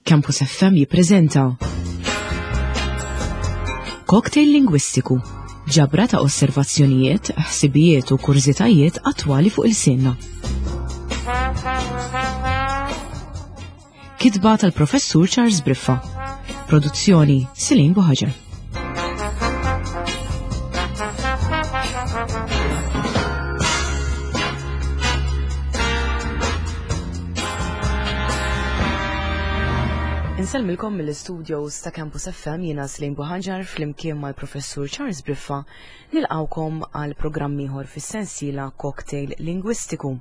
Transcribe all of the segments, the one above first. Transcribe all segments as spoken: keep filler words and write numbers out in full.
Campus F M jippreżenta Cocktail Lingwistiku, ġabra ta' osservazzjonijiet, ħsibijiet u kurżitajiet attwali fuq il-sinna. Kitba tal-Professur Charles Briffa. Produzzjoni Celine Buhaġar. Insellmilkom mill-studios ta' Campus F M, jiena Celine Buhaġar flimkien mal-Professur Charles Briffa nilqawkom għal programm ieħor fis-sensiela Cocktail Lingwistiku.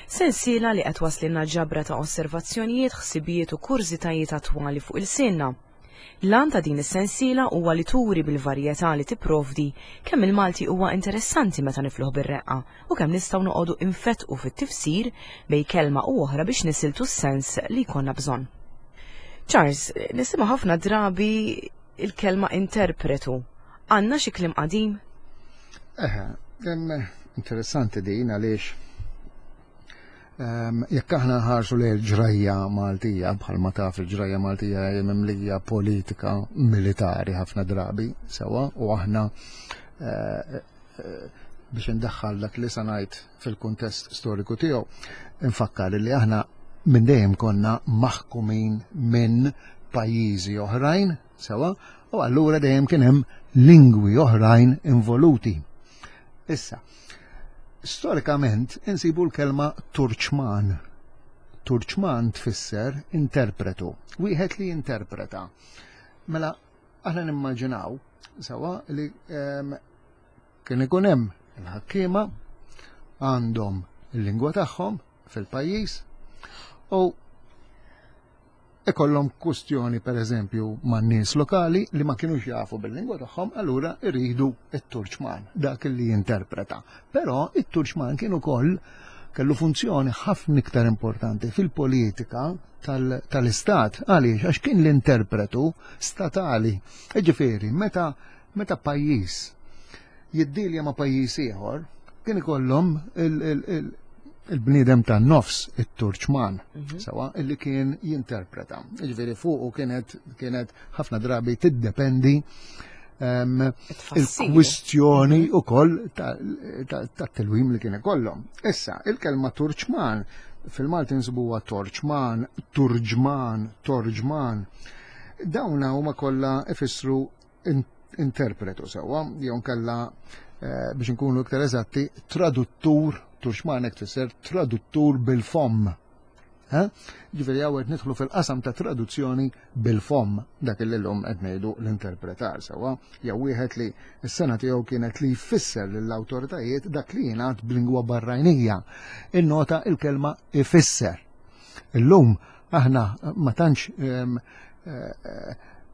Sensiela li qed waslinna ġabra ta' osservazzjonijiet, ħsibijiet u kurżitajiet attwali fuq il-sinna. L-għan ta' din is-sensiela huwa li turi bil-varjetà li tipprovdi kemm il-Malti huwa interessanti meta nifluh bir-reqqa u kemm nistgħu noqogħdu infetqu fit-tifsir bejn kelma u oħra biex nisiltu s-sens li jkollna bżonn. Charles, nisimgħu ħafna drabi il-kelma interpretu. Għandna xi kliem qadim? Eħe, interessanti din għaliex jekk aħna nħarsu lejn il-ġrajja Maltija, bħalma taf il-ġrajja Maltija hija mimlija politika militari ħafna drabi sewwa, u aħna biex indaħħal dak li sa ngħid fil-kuntest storiku tiegħu, infakkar li aħna minn dejjem konna maħkumin minn pajjiżi oħrajn sewwa, u allura dejjem kien hemm lingwi oħrajn involuti. Issa, storikament insibu l-kelma Turċman. Turċman tfisser interpretu, wieħed li jinterpreta. Mela aħna nimmaġinaw sewwa li kien ikun hemm il-ħakkiema għandhom il-lingwa tagħhom fil-pajjiż u ikollhom kwestjoni pereżempju man-nies lokali li ma kinux jafu bil-lingwa tagħhom, allura iridu t-Turċman, dak li jinterpreta. Però it-Turċman kien ukoll kellu funzjoni ħafna iktar importanti fil-politika tal-istat. Għaliex? Għax kien l-interpretu statali. Jiġifieri, meta, meta pajjiż jiddilja ma' pajjiż ieħor, kien ikollhom il-bniedem tan-nofs, it-Turċman, sewa, illi kien jinterpreta. Jiġifieri fuqu kienet, kienet ħafna drabi tiddependi il-kwistjoni ukoll tat-tilwim li kien ikollhom. Issa, il-kelma Turċman fil-Malti nsibuha Torċman, Turġman, Torġman. Dawna huma kollha ifissru interpretu sewwa, jew nkella biex nkunu iktar eżatti, traduttur. Turċman hekk tfisser traduttur bil-fomm. Ġifieri hawn qed nidħlu fil-qasam ta' traduzzjoni bil-fomm, dak li llum qed ngħidu l-interpretar sewwa, jew wieħed li s-sena tiegħu kienet li jfisser lill-awtoritajiet dak li jingħad b'lingwa barranija. Innota il-kelma ifisser. Illum aħna ma tantx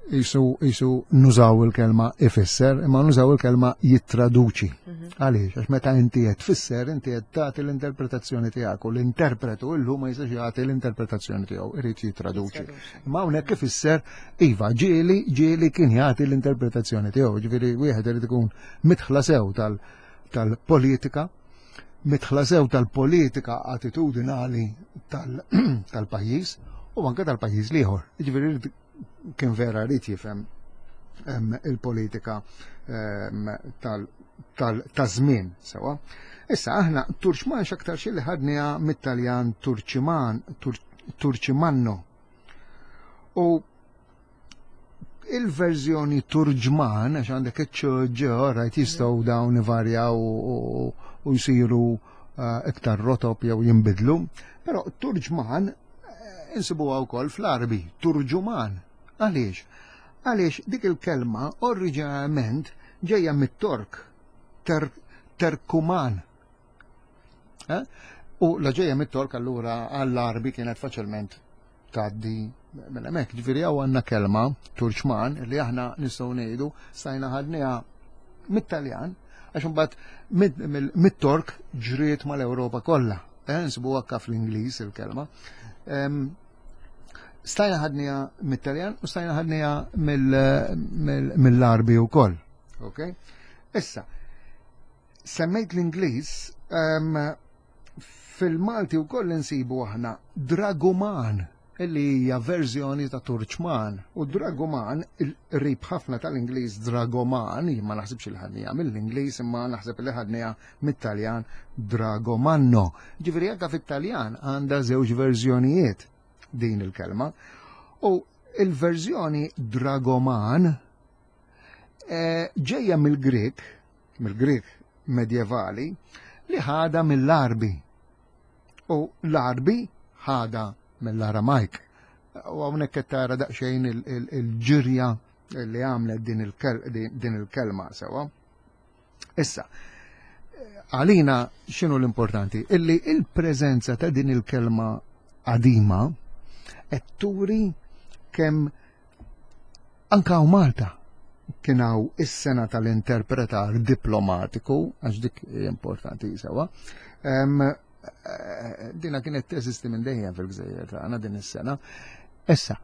jisu nużaw il-kelma ifisser, imma nużaw il-kelma jittraduċi. Għaliex? Għax meta inti qed tfisser, inti qed tagħti l-interpretazzjoni tiegħek u l-interpretu illum ma jistax jagħti l-interpretazzjoni tiegħu, irid jittraduċi. Imma hawnhekk ifisser iva, ġieli, ġieli kien jagħti l-interpretazzjoni tiegħu, ġifieri wieħed irid ikun mitħla sew tal-politika, mitħla sew tal-politika attitudinali tal-pajjiż u anke tal-pajjiż l-ieħor. Ġifieri kien vera rrid jifhem il-politika taż-żmien sewwa. Issa aħna Turċman x'aktar xi li ħadniha mit-Taljan Turċiman, Turċimanno. U il-verżjoni Turġman, għax għandek iċ-ċ, rajt jistgħu dawn ivarjaw u jsiru iktar rotob jew jinbidlu, però Turġman insibuha wkoll fl-Arbi, Turġuman. Għaliex? Għaliex dik il-kelma oriġinarjament ġejja mit-Tork, Terkuman. U la ġejja mit-Tork allura għall-Arbi kienet faċilment tgħaddi minn hemmhekk. Ġifieri hawn għandna kelma Turċman li aħna nistgħu ngħidu stajna ħadniha mit-Taljan għax imbagħad mit-Tork ġriet mal-Ewropa kollha. Nsibuha anke fl-Ingliż il-kelma. Stajna ħadniha mit-Taljan u stajna ħadniha mill-Arbi wkoll. Ok? Issa, semmejt l-Ingliż, fil-Malti wkoll insibu aħna draguman. Illi hija verżjoni ta' Turċman. U dragoman, il-rib ħafna tal-Ingliż dragoman, jien ma naħsibx li ħadniha mill-Ingliż, imma naħseb li ħadniha mit-Taljan dragomanno. Ġifieri anke fit-Taljan għandha żewġ verżjonijiet din il-kelma. U il-verżjoni dragoman eh, ġejja mill-Grek, mill-Grek medjevali, li ħada mill-Arbi. U l-Arbi ħada mill-Aramajk. U hawnhekk qed tara daqsxejn il-ġirja li għamlet din il-kelma sewa. Issa, għalina x'inhu l-importanti? Illi il-preżenza ta' din il-kelma qadima qed turi kemm anka hawn Malta kien hawn is-sena tal-interpretar diplomatiku, għax dik importanti sewa. Dina kienet teżisti minn dejjem fil-gżejjer tagħna din is-sena. Issa,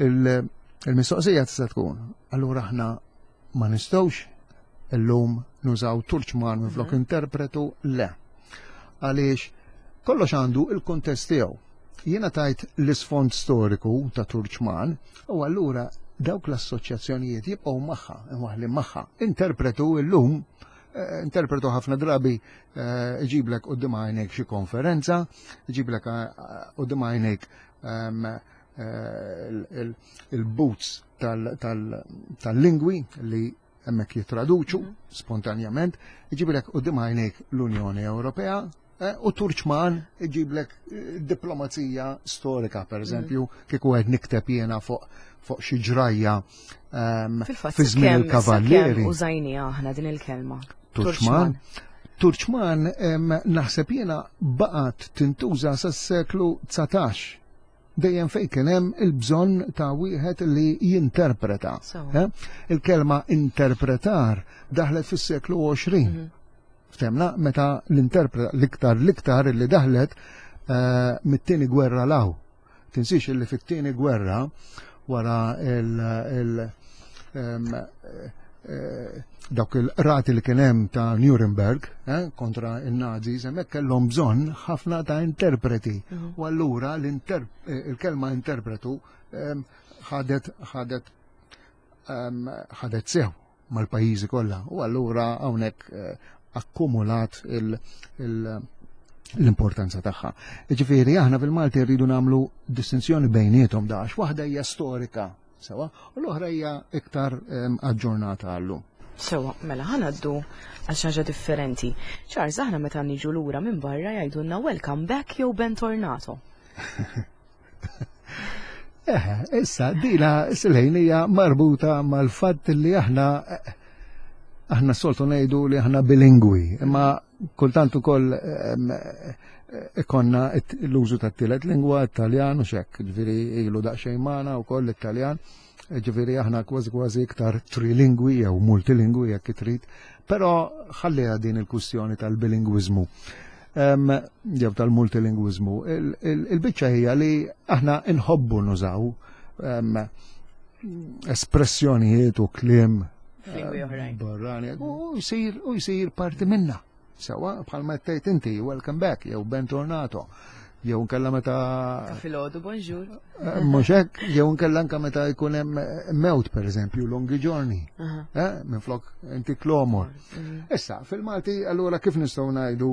il-mistoqsija tista' tkun, allura aħna ma nistgħux illum nużaw turċman minflok mhm. interpretu? Le. Għaliex kollox għandu il-kuntest tiegħu. Jiena tajt l-isfond storiku ta' turċman u allura dawk l-assoċjazzjonijiet jibqgħu magħha, imwaħli magħha. Interpretu illum, eh, interpretu ħafna drabi eh, iġiblek quddiem għajnejk xi konferenza, iġiblek eh, quddiem għajnejk ehm, il-booths tal-lingwi li hemmhekk jitraduċu mhm. spontanjament, iġiblek quddiem għajnejk l-Unjoni Ewropea, u turċman iġiblek diplomazija storika, per eżempju, mm. kieku qed nikteb jiena fuq fuq xi ġrajja ehm, fi żmien il-kavallieri. Użajni aħna din il-kelma. Turċman. Turċman naħseb jiena baqgħet tintuża sas-seklu dsatax. Dejjem fejn kien hemm il-bżonn ta' wieħed li jinterpreta. Eh? Il-kelma interpretar daħlet fis-seklu għoxrin. Mhm. Ftemna meta l-interpreta l-iktar l-iktar li daħlet eh, mit-tieni gwerra law. Tinsix li fit-tieni gwerra wara il- il- em, eh, dawk il-rati li kien hemm ta' Nuremberg eh, kontra il-Nazis, hemmhekk kellhom bżonn ħafna ta' interpreti. U allura l-inter- eh, il-kelma interpretu em, ħadet ħadet em, ħadet sew mal-pajjiżi kollha. U allura hawnhekk eh, akkumulat il- il- l-importanza tagħha. Ġifieri aħna fil-Malti rridu nagħmlu distinzjoni bejniethom dax, waħda hija storika sewa u l-oħra hija iktar em, aġġornata għallum. Sewa, mela ħa ngħaddu għal xi ħaġa differenti. Charles, aħna meta niġu lura minn barra jgħidulna "welcome back" jew "bentornato". Eh, issa, dila s-lejn hija marbuta mal-fatt li aħna aħna soltu ngħidu li aħna bilingwi, imma kultant ukoll em, ikonna l-użu tat-tielet lingwa, Italjan u xek, ġifieri ilu daqsxejn magħna wkoll l-Italjan, ġifieri aħna kważi kważi iktar trilingwi jew multilingwi jekk trid, però ħalliha din il-kwistjoni tal-bilingwiżmu. Em, jew tal-multilingwiżmu. Il-biċċa hija li aħna nħobbu nużaw em, espressjonijiet u kliem Lingwi oħrajn. barrani u jsir u jsir parti minna. Sewa bħalma tgħid inti "welcome back" jew "bentornato" jew nkella meta Ta' filgħodu "bonjour". Eh, mhux hekk, jew nkella anke meta jkun hemm mewt, pereżempju, "lunghi giorni", Aha. eh, minflok inti klomor. Mhm. Issa, fil-Malti allura kif nistgħu ngħidu?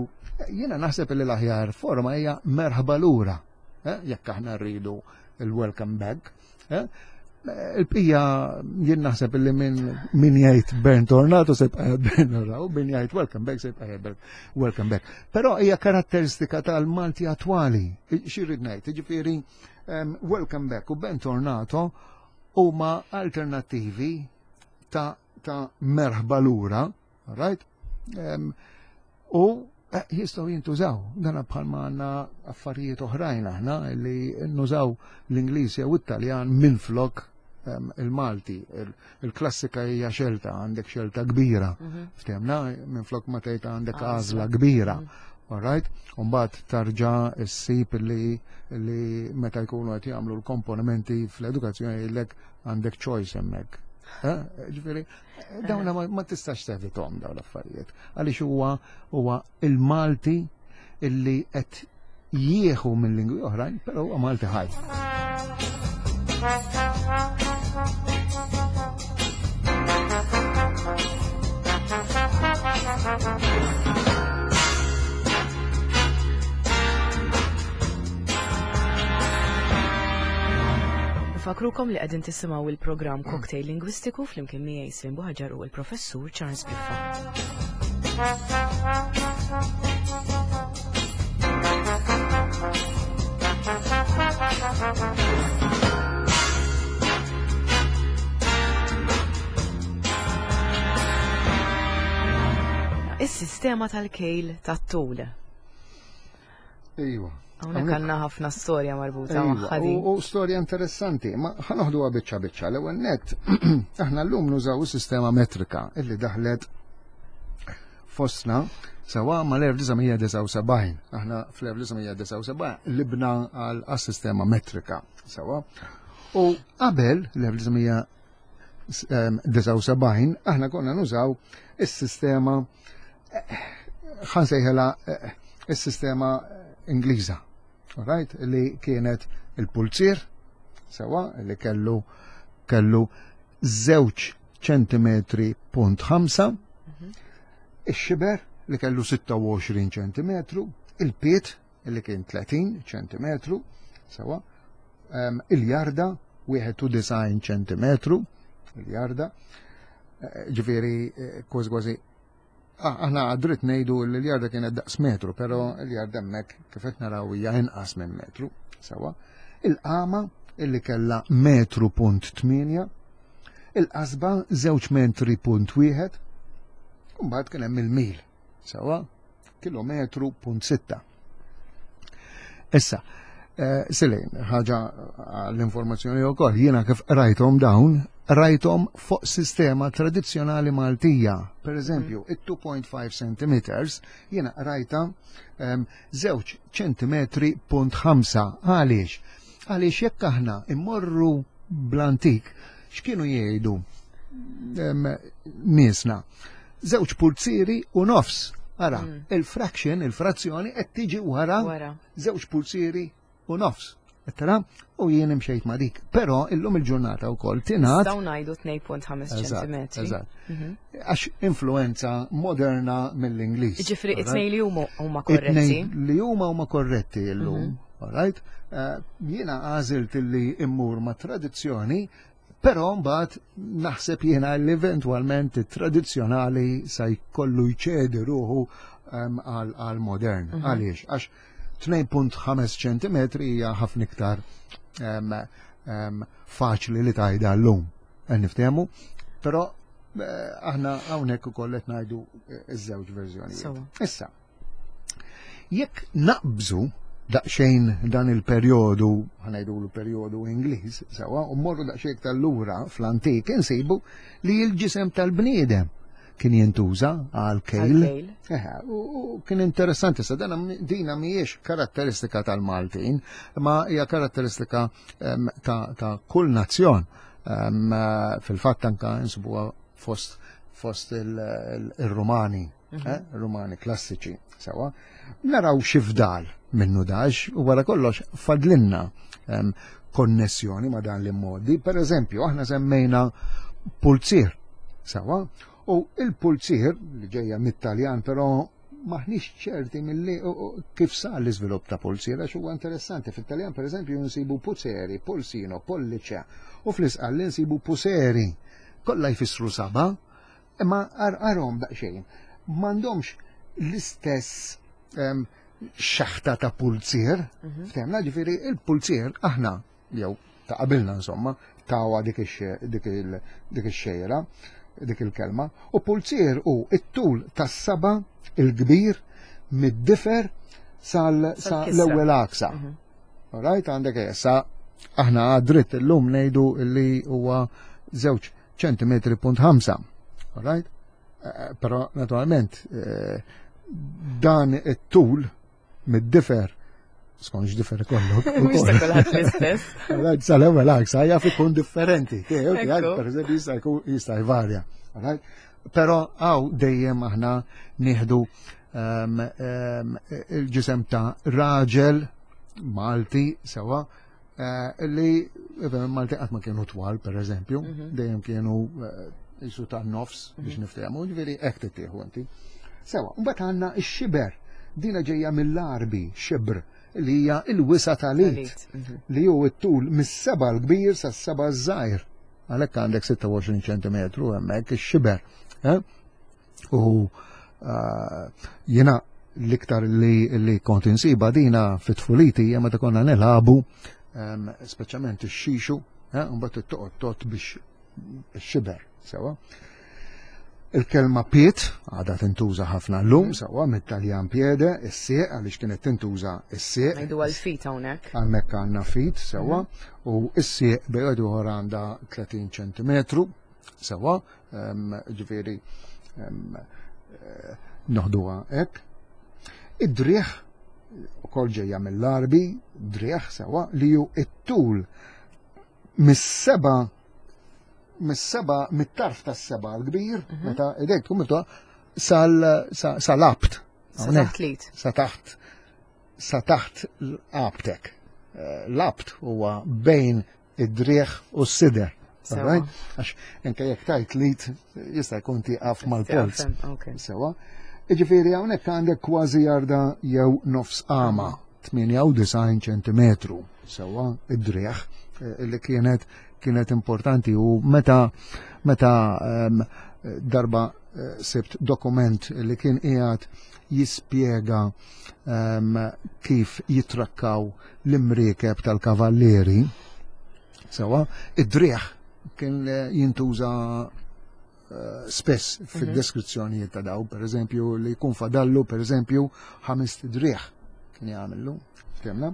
Jiena naħseb li l-aħjar forma hija merħba lura, eh, jekk aħna rridu il-welcome back. Eh? Il-bqija jien naħseb li min min jgħid "bentornato" se jibqa' bentornato, min jgħid "welcome back" se jibqa' "welcome back". Però hija karatteristika tal-Malti attwali. Xi rrid ngħid, jiġifieri em, "welcome back" u "bentornato" huma alternattivi ta' ta' merħba lura, right? Em, u eh, jistgħu jintużaw, dana bħalma għandna affarijiet oħrajn aħna li nużaw l-Ingliż jew it-Taljan minflok em, il-Malti. Il- Il-klassika hija xelta, għandek xelta kbira. Mhm. Ftemna, minflok ma tgħid għandek Għażla. għażla kbira. All right? Umbagħad tarġa ssib li, li meta jkunu qed jagħmlu l-komponimenti fl-edukazzjoni jgħidlek għandek choice hemmhekk. Eh? Ġifieri, dawna ma, ma tistax tevitom dawn l-affarijiet. Għaliex huwa huwa il-Malti illi qed jieħu minn lingwi oħrajn, però huwa Malti ħaj. Nfakrukom li qegħdin tisimgħu il-programm Cocktail Lingwistiku flimkien miegħi Slim Buħaġar u l-Professur Charles Biffa. Is-sistema tal-kejl tat-tul. Iva. Hawnhekk għandna ħafna storja marbuta Iva, magħha din. U, u storja interessanti, ma ħa noħduha biċċa biċċa. L-ewwel nett, aħna llum nużaw is-sistema metrika illi daħlet fostna sewa mal-elf disa' mija disgħa u sebgħin. Aħna fl-elf disa' mija disgħa u sebgħin libna għal sistema metrika sewa. U qabel l-elf disa' mija disgħa u sebgħin aħna konna nużaw is-sistema, ħa nsejħilha, eh, is-sistema Ingliża. Right? Li kienet il-pulzier, sewa, li kellu, kellu żewġ ċentimetri punt ħamsa, Mhm. ix-xiber li kellu sitta u għoxrin ċentimetru, il-piet li kien tletin ċentimetru, sewa, em, il-jarda wieħed u disgħin ċentimetru, il-jarda, eh, ġifieri, eh, kważi kważi Ah, aħna għadrit ngħidu li l-jarda kienet daqs metru, però l-jarda hemmhekk kif qed naraw hija inqas minn metru, sewa. Il-qama illi kellha metru punt tmienja, il-qasba żewġ metri punt wieħed, u mbagħad kien hemm il-mil, sewa, kilometru punt sitta. Issa, eh, Silejn, ħaġa l-informazzjoni wkoll, jiena kif rajthom dawn, rajthom fuq sistema tradizzjonali Maltija. Per eżempju, Mm. it two point five centimeters jiena rajta, em, żewġ ċentimetri punt ħamsa. Għaliex? Għaliex jekk aħna immorru bl-antik, x'kienu jgħidu, em, niesna? Żewġ pulzieri u nofs. Ara, Mm. il-fraction, il-frazzjoni qed tiġi wara Wara. żewġ pulzieri u nofs. Tara, u jien imxejt ma' dik. Però illum il-ġurnata wkoll tingħad Nistgħu ngħidu tnejn punt ħames Eżatt, ċentimetri. eżatt. Mhm. Għax influenza moderna mill-Ingliż. Jiġifieri Alright? it-tnejn li huma huma korretti. It-tnejn li huma huma korretti llum. Mhm. Alright? Eh, jiena għażilt li immur ma' tradizzjoni, però mbagħad naħseb jiena li eventwalment it-tradizzjonali sa jkollu jċedi ruħu, ehm, għal, għal modern. Mhm. Għaliex? Għax tnejn punt ħames ċentimetri hija ħafna iktar, ehm, ehm, faċli li tgħidha llum. Niftehmu, però, eh, aħna hawnhekk ukoll qed ngħidu, eh, iż-żewġ verżjonijiet. Sewa. Issa, jekk naqbżu daqsxejn dan il-perjodu, ħa ngħidulu perjodu Ingliż, sewa, u mmorru daqsxejn iktar lura fl-antik, insibu li l-ġisem tal-bniedem kien jintuża għal kejl. Għal kejl. Eħe, u, u kien interessanti, sa dana mi-, dina mhijiex karatteristika tal-Maltin, ma hija karatteristika, em, ta', ta' kull nazzjon. Em, fil-fatt anka insibuha fost, fost il-, il-, il-Rumani, Mhm. eh, Rumani klassiċi, sewa. Naraw xi fdal minnu dax, u wara kollox fadlinna, em, konnessjoni ma' dan l-immodi. Per eżempju, aħna semmejna pulzier, sewa, u il-pulzier li ġejja mit-Taljan, però maħniex ċerti milli u, u, kif sar l-iżvilupp ta' pulzier, għax huwa interessanti. Fit-Taljan, per eżempju, nsibu puzzeri, pulsino, pollice, u fl-Isqalli nsibu puseri. Kollha jfissru saba, imma ar-, arhom daqsxejn. M'għandhomx l-istess, em, xaħta ta' pulzier, Mhm. ftemna, ġifieri il-pulzier aħna, jew ta' qabilna insomma, tawa dik ix-xe-, dik il-, dik ix-xejra, dik il-kelma, u pulzier u it-tul tas-saba il-kbir mid-difer sal-, sa Sal-kisra. l-ewwel aksa. Mhm. Alright, għandek issa aħna għadritt illum ngħidu li huwa żewġ ċentimetri punt ħamsa. Alright? Eh, però naturalment, eh, dan it-tul mid-difer, skont x'difer ikollok, Mhux ta' ukoll. kulħadd l-istess. Alright, sal-ewwel aksa jaf ikun differenti. Tiegħu, Ekku. tiegħek, per eżempju, jista' jkun, jista' jvarja. Alright? Però hawn dejjem aħna nieħdu, ehm, ehm, il-ġisem ta' raġel Malti sewa, eh, li Malti qatt ma kienu twal, per eżempju, Mhm. dejjem kienu eh, jisu ta' nofs biex niftehmu, ġifieri hekk tittieħu inti. Sewa, mbagħad għandna x-xiber, dina ġejja mill-Arbi, xibr, li hija il-wisa tal-id, Tal-id, mhm. li hu t-tul mis-seba l-kbir sas-seba ż-żgħir. Għalhekk għandek sitta u għoxrin ċentimetru hemmhekk ix-xiber. eh? U eh, jiena l-iktar li, li kont insiba dina fit-tfuliti hija meta konna nilagħbu em, speċjalment ix-xixu, eh, mbagħad toqgħod tot biex xiber, sewa. Il-kelma pied għadha tintuża ħafna llum, sewa, mit-Taljan piede, is-sieq, għaliex kienet tintuża is-sieq. Ngħidu għal feet hawnhekk. Hemmhekk għandna feet, sewa, u is-sieq bejn ieħor għandha tletin ċentimetru, sewa, em, ġifieri em, eh, noħduha hekk. Id-driegħ ukoll ġejja mill-Arbi, driegħ, sewa, li hu it-tul mis-seba mis-seba mit-tarf tas-seba l-kbir, meta idejk tkun miftuħa, sal sa- sal-abt. Sa Hawnhekk. taħt l-id. Sa taħt sa taħt l-abtek. Eh, L-abt huwa bejn id-driegħ u s-sider. Sewa. Alright? Għax anke jekk tajt l-id jista' jkun tieqaf mal-polz. Ok. Sewa. Iġifieri hawnhekk għandek kważi jarda jew nofs qama, tmienja u disgħin ċentimetru. Sewa, id-driegħ eh, li kienet kienet importanti u meta meta em, darba eh, sibt dokument li kien qiegħed jispjega em, kif jitrakkaw l-imriekeb tal-kavallieri. Sewa, id-driegħ kien eh, jintuża eh, spess fid-deskrizzjonijiet ta' daw, per eżempju, li jkun fadallu, per eżempju, ħames driegħ kien jagħmillu, ftemna.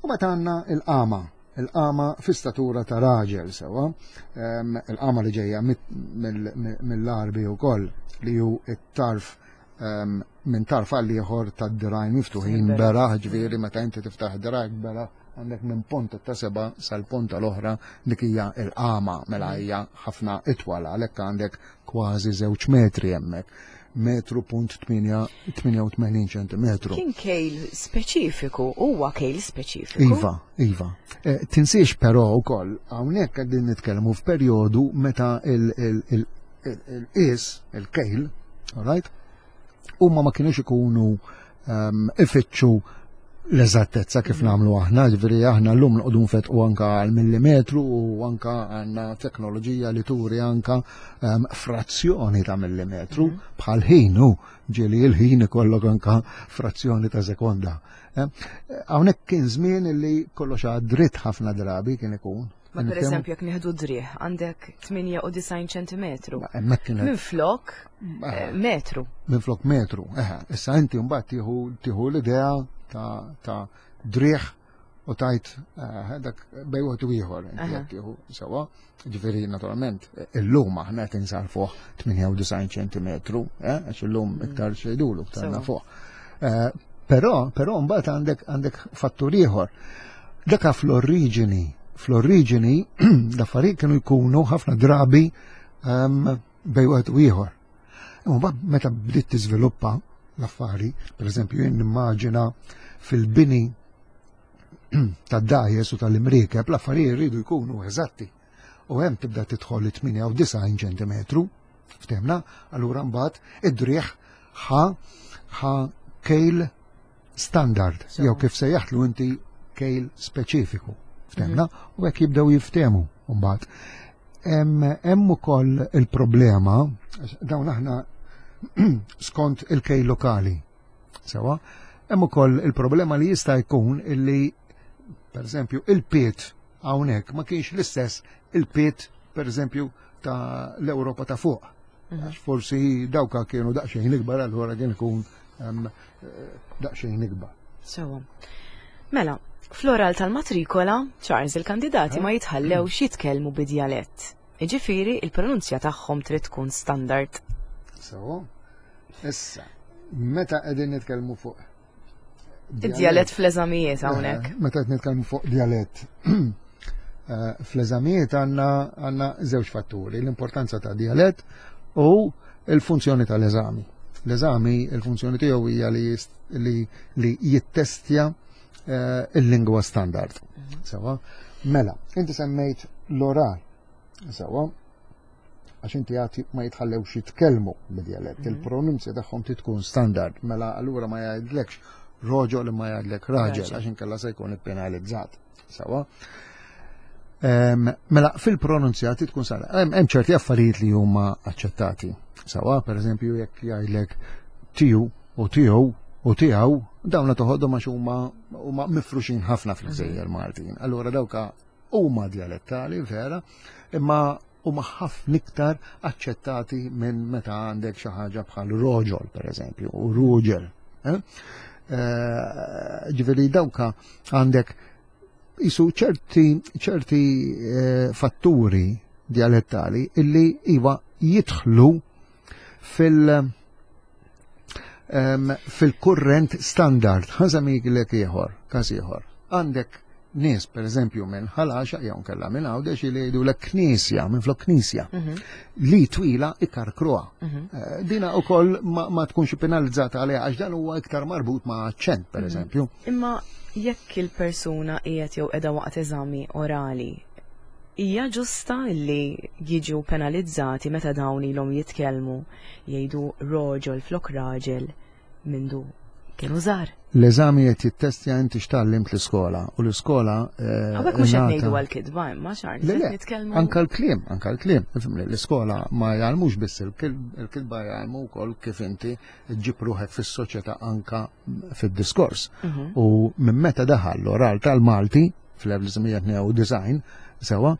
U meta għandna il-qama, il-qama fi statura ta' raġel, sewa, em, il-qama li ġejja mit- mill- mill-Arbi wkoll, li hu it-tarf em, minn tarf għal ieħor tad-dirgħajn miftuħin Beraħ. beraħ, ġifieri meta inti tiftaħ dirgħajk beraħ għandek minn ponta ta' seba sal-ponta l-oħra, dik hija il-qama, mela hija ħafna itwal, għalhekk għandek kważi żewġ metri hemmhekk. Metru punt tmienja u tmenin ċentimetru. Kien kejl speċifiku, huwa kejl speċifiku. Iva, iva. Eh, Tinsiex però wkoll hawnhekk qegħdin nitkellmu f'perjodu meta il-qis, il-kejl, all right, huma ma kienux ikunu um, ifittxu l-eżattezza kif nagħmlu aħna, ġifieri aħna llum noqogħdu nfetqu anka għal millimetru u anka għandna teknoloġija li turi anka um, frazzjoni ta' millimetru bħal ħin u ġieli il-ħin ikollok anka frazzjoni ta' sekonda. Eh, Hawnhekk kien żmien li kollox għad dritt ħafna drabi kien ikun. Ma per eżempju, jekk nieħdu driegħ, għandek tmienja u disgħin ċentimetru. Hemmhekk kienet Minn flok eh, metru. Minn flok metru. Eħe, issa inti mbagħad tieħu tieħu l-idea ta' ta' driegħ u tajt eh, dak bejn wieħed u ieħor inti Aha. qed tieħu sewa. Ġifieri naturalment illum aħna qed insarfuh tmienja u disgħin ċentimetru, eh, għax illum iktar xejdulu iktar Sewa. nafuh. Eh, Però però mbagħad għandek għandek fattur ieħor. Dak fl-oriġini, fl-oriġini l-affarijiet kienu jkunu ħafna drabi um, bejn wieħed u ieħor. Imma mbagħad meta bdiet tiżviluppa l-affari, per eżempju jien nimmaġina fil-bini tad-dgħajjes u tal-imriekeb l-affarijiet jridu jkunu eżatti. U hemm tibda tidħol tmienja u disgħin ċentimetru, ftemna, allura mbagħad id-driegħ ħa ħa kejl standard, Sewa. jew kif sejjaħtlu inti kejl speċifiku, ftemna, u hekk jibdew jiftemu mbagħad. Hemm hemm ukoll il-problema, għax dawn aħna skont il-kejl lokali. Sewa, hemm ukoll il-problema li jista' jkun illi per eżempju il-pied hawnhekk ma kienx l-istess il-pied per eżempju ta' l-Ewropa ta' fuq. Għax forsi dawka kienu daqsxejn ikbar, allura kien ikun em, eh, daqsxejn ikbar. Sewa. Mela, fl-oral tal-matrikola, Charles, il-kandidati ma jitħallewx jitkellmu bidjalett. Iġifieri il-pronunzja tagħhom trid tkun standard. So, issa, meta qegħdin nitkellmu fuq Id-djalett fl-eżamijiet hawnhekk. Eh, Meta qed nitkellmu fuq djalett eh, fl-eżamijiet għandna għandna żewġ fatturi, l-importanza ta' djalett u il-funzjoni tal-eżami. L-eżami, il-funzjoni tiegħu hija li, jist- li, li jittestja eh, il-lingwa standard. Sewwa, mela, inti semmejt l-oral. Sewwa, għax inti għati ma jitħallewx jitkellmu bid-dialett, il-pronunzja tagħhom trid tkun standard, mela allura ma jgħidlekx roġol imma jgħidlek raġel, Raġel. għax inkella se jkun ippenalizzat. Sewwa. Em, Mela, fil-pronunzja trid tkun standard. Hemm hemm ċerti affarijiet li huma aċċettati. Sewwa, per eżempju, jekk jgħidlek tiju u tiegħu u tiegħu, dawn toħodhom għax huma huma mifruxin ħafna fil-gżejjer Maltin. Allura dawka huma dialettali vera, imma huma ħafna iktar aċċettati minn meta għandek xi ħaġa bħal roġol, per eżempju, u ruġel. Eh? Eh, Ġifieri dawka għandek jisu ċerti ċerti eh, fatturi dialettali illi iva jidħlu fil- em, fil-kurrent standard. Ħa nsemmilek ieħor, każ ieħor. Għandek nies, per eżempju, minn Ħal Għaxaq jew kella minn Għawdex li jgħidu l knisja, minn flok knisja, li twila ikarkruha. Eh, Dina ukoll ma, ma tkunx penalizzata għaliha għax dan huwa iktar marbut ma' aċċent, per eżempju. Imma jekk il-persuna qiegħed jew qiegħda waqt eżami orali, hija ġusta li jiġu penalizzati meta dawn ilhom jitkellmu jgħidu roġol flok raġel mindu kienu żgħar? L-eżami qed jittestja inti x'tgħallimt l-iskola u l-iskola eh, Hawnhekk mhux qed ingħata- ngħidu għal-kitba imma Charles, Le, qed le, nitkellmu anka l-kliem, anka l-kliem. Ifhimni, l-iskola ma jgħallmux biss il-kilb, il-kilba jgħallmu wkoll kif inti ġġib ruħek fis-soċjetà anka fid-diskors. Mhm. U minn meta daħal l-oral tal-Malti fl-elf disa' mija tnejn u disgħin, sewwa,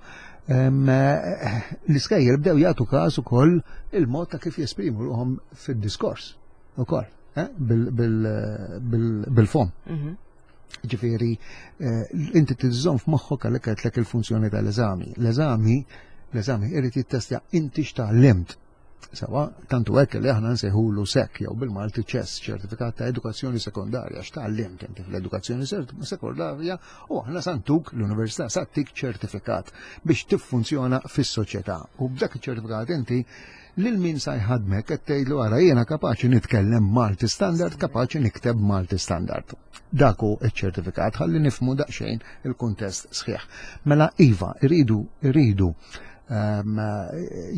em, eh, l-iskejjel bdew jagħtu każ ukoll il-mod ta' kif jesprimu ruħhom fid-diskors ukoll, eh, bil- bil- bil- bil-fom. Mhm. Ġifieri, eh, inti tiżżomm f'moħħok għalhekk għedtlek il-funzjoni tal-eżami. L-eżami, l-eżami irid jittestja inti x'tgħallimt. Sewwa, tantu hekk li aħna nsejħulu SEC jew bil-Malti ċess, ċertifikat ta' edukazzjoni sekondarja, x'tgħallimt inti fl-edukazzjoni sekondarja u aħna sa ntuk l-università sa ttik ċertifikat biex tiffunzjona fis-soċjetà. U b'dak iċ-ċertifikat inti lil min sa jħadmek qed tgħidlu ara jiena kapaċi nitkellem Malti standard, kapaċi nikteb Malti standard. Dak hu iċ-ċertifikat ħalli nifhmu daqsxejn il-kuntest sħiħ. Mela iva, iridu iridu um,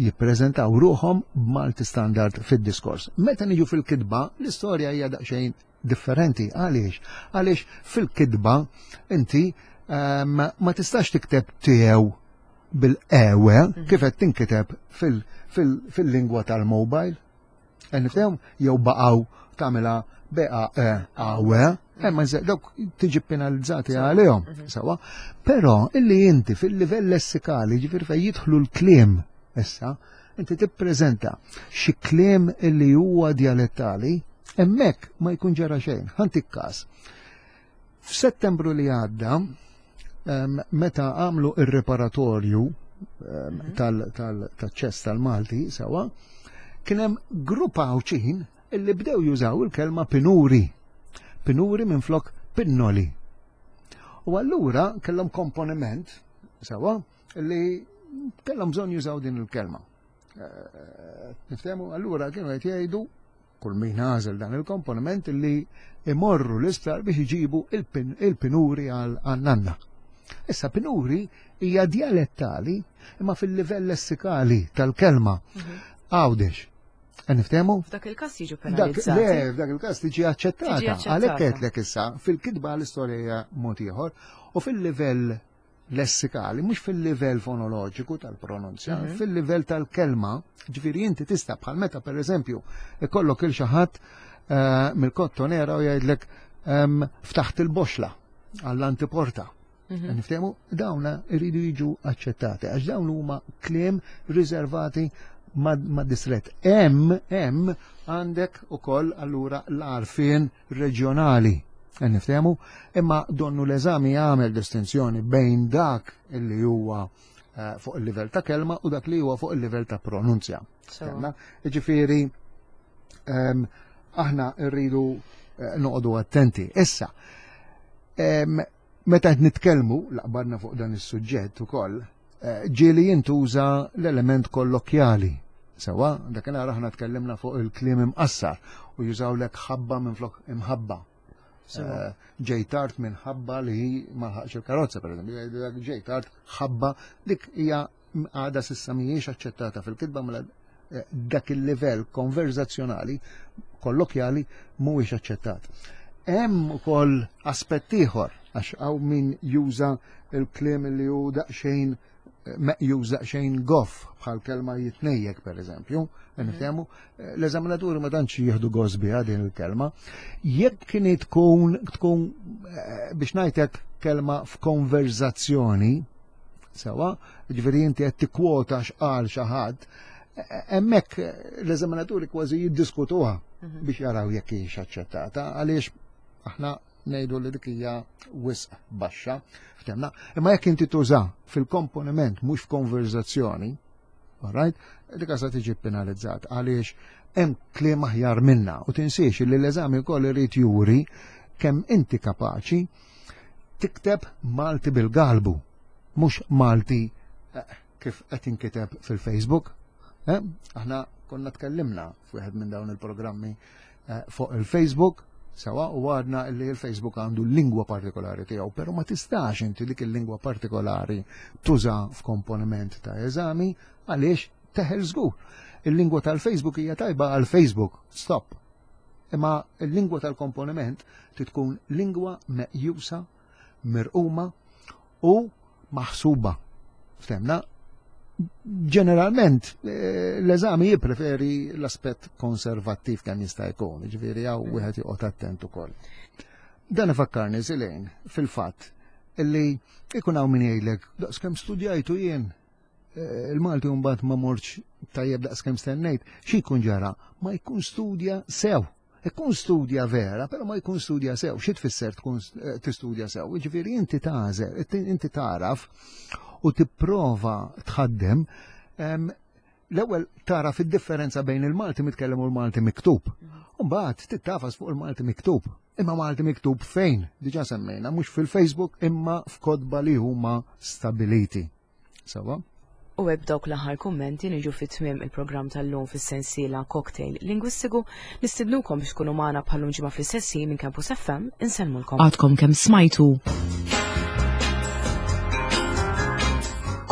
jippreżentaw ruħhom b'Malti standard fid-diskors. Meta niġu fil-kitba, l-istorja hija daqsxejn differenti. Għaliex? Għaliex fil-kitba inti um, ma tistax tikteb tiegħu bil-ewe kif qed tinkiteb fil-lingwa tal-mobile. Nifhem jew baqgħu tagħmilha beqa e awe, imma dawk tiġi penalizzati għalihom, sewwa. Però illi inti fil-livell lessikali, ġifieri fejn jidħlu l-kliem issa, inti tippreżenta xi kliem illi huwa dialettali, hemmhekk ma jkun ġara xejn. Ħa ntik każ. F'Settembru li għadda, meta għamlu ir-riparatorju tal-ċess tal-Malti, sewwa, kien hemm grupp Għawdxin illi bdew jużaw il-kelma pinuri. Pinuri minn flok pinnoli. U allura kellhom komponiment, sewwa, illi kellhom bżonn jużaw din il-kelma. Eh, Niftehmu, allura kienu qed jgħidu kull min għażel dan il-komponiment illi imorru l-isptar biex iġibu il-pinuri għal-nanna. Issa pinuri hija dialettali imma fil-livell lessikali tal-kelma. Mhm. Għawdex. Niftehmu? F'dak il-każ jiġu penalizzati. Le, f'dak il-każ tiġi aċċettata. Għalhekk għedtlek issa, fil-kitba l-istorja hija mod ieħor u fil-livell lessikali, mhux fil-livell fonoloġiku tal-pronunzja, mhm. fil-livell tal-kelma, ġifieri inti tista' bħal meta pereżempju ikollok il xi ħadd eh, mill-Kottonera u jgħidlek ehm, ftaħt il-boxla għall-antiporta. Mhm. Niftehmu, dawna iridu jiġu aċċettati, għax dawn huma kliem riservati ma' distret. Hemm, hemm għandek ukoll allura l-għarfien reġjonali. Niftehmu, imma donnu l-eżami jagħmel distinzjoni bejn dak illi huwa eh, fuq il-livell ta' kelma u dak li huwa fuq il-livell ta' pronunzja. Ġifieri, aħna rridu eh, noqogħdu attenti. Issa, meta qed nitkellmu laqbarna fuq dan is-suġġett ukoll, eh, ġieli jintuża l-element kollokjali. Sewwa, dakinhar aħna tkellimna fuq il-kliem imqassar u jużawlek ħabba minn flok imħabba. Eh, ġej tard minħabba li ma lħaqx il-karozza, per eżempju, ġej tard ħabba, dik hija għada s'issa mhijiex aċċettata fil-kitba, mela eh, dak il-livell konverzazzjonali kollokjali mhuwiex aċċettat. Hemm ukoll aspett ieħor, għax hawn min juża il-kliem li hu daqsxejn meqjuż daqsxejn goff, bħal kelma jitnejjek, per eżempju, niftehmu, l-eżaminaturi ma tantx jieħdu gost biha din il-kelma. Jekk kien tkun tkun eh, biex ngħidlek kelma f'konverzazzjoni, sewa, ġifieri inti qed tikkwota x'qal xi ħadd, hemmhekk l-eżaminaturi kważi jiddiskutuha mhm. biex jaraw jekk hijiex aċċettata, għaliex aħna ngħidu li dik hija wisq baxxa, ftemna. Imma jekk inti tuża fil-komponiment, mhux f'konverzazzjoni, alright, dik sa tiġi penalizzat għaliex hemm kliem aħjar minna u tinsiex li l-eżami wkoll irid juri kemm inti kapaċi tikteb Malti bil-galbu, mhux Malti eh, kif qed inkiteb fil-Facebook. Eh? Aħna konna tkellimna f'wieħed minn dawn il-programmi eh, fuq il-Facebook, sewa, u għadna li il-Facebook għandu lingwa partikolari tiegħu, però ma tistax inti dik il-lingwa partikolari tuża f'komponiment ta' eżami għaliex teħel żgur. Il-lingwa tal-Facebook hija tajba għal Facebook, stop. Imma il-lingwa tal-komponiment tkun lingwa meqjusa, mirquma u maħsuba. Ftemna, ġeneralment eh, l-eżami jippreferi l-aspett konservattiv kemm jista' jkun, ġifieri hawn wieħed joqgħod attent ukoll. Dan ifakkarni, Silejn, fil-fatt illi ikun hawn min jgħidlek, "Daqskemm studjajtu jien eh, il-Malti, mbagħad ma mortx tajjeb daqskemm stennejt." Xi jkun ġara? Ma jkun studja sew. Ikun studja vera, però ma jkun studja sew. Xi tfisser tkun eh, tistudja sew? Ġifieri inti tagħżel, inti taraf u tipprova tħaddem, l-ewwel tara fid-differenza bejn il-Malti mitkellem u l-Malti miktub. Mbagħad tittafas fuq il-Malti miktub. Imma Malti miktub fejn? Diġà semmejna, mhux fil-Facebook imma f'kotba li huma stabiliti. Sawa? U hekk, dawk l-aħħar kummenti, niġu fi tmiem il-programm tal-lum fis-sensiela Cocktail Lingwistiku. Nistidnukom biex tkunu magħna bħal-lum ġimgħa fl-istess minn Campus F M. Insellmulkom. Għadkom kemm smajtu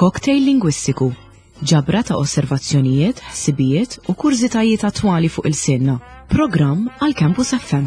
Cocktail Lingwistiku, ġabra ta' osservazzjonijiet, ħsibijiet u kurżitajiet attwali fuq ilsienna. Programm għal Campus F M.